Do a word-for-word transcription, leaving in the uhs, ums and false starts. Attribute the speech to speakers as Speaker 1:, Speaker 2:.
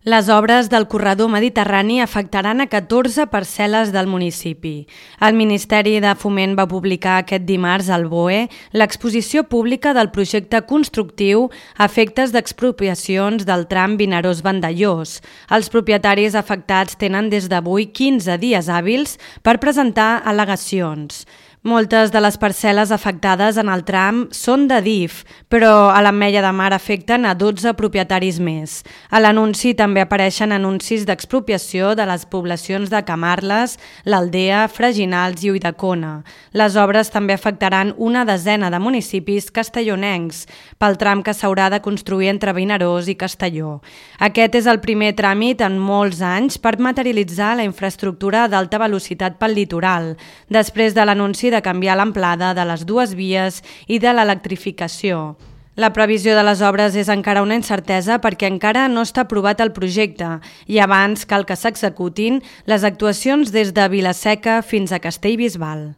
Speaker 1: Les obres del corredor mediterrani afectaran a catorze parcel·les del municipi. El Ministeri de Foment va publicar aquest dimarts al B O E l'exposició pública del projecte constructiu a efectes d'expropiacions del tram Vinaròs-Vandellòs. Els propietaris afectats tenen des d'avui quinze dies hàbils per presentar al·legacions. Moltes de les parcel·les afectades en el tram són de D I F, però a l'Ametlla de Mar afecten a dotze propietaris més. A l'anunci també apareixen anuncis d'expropiació de les poblacions de Camarles, l'Aldea, Freginals i Ulldecona. Les obres també afectaran una desena de municipis castellonencs, pel tram que s'haurà de construir entre Vinaròs i Castelló. Aquest és el primer tràmit en molts anys per materialitzar la infraestructura d'alta velocitat pel litoral, després de l'anunci de de canviar l'amplada de les dues vies i de l'electrificació. La previsió de les obres és encara una incertesa perquè encara no està aprovat el projecte i abans cal que s'executin les actuacions des de Vila-seca fins a Castellbisbal.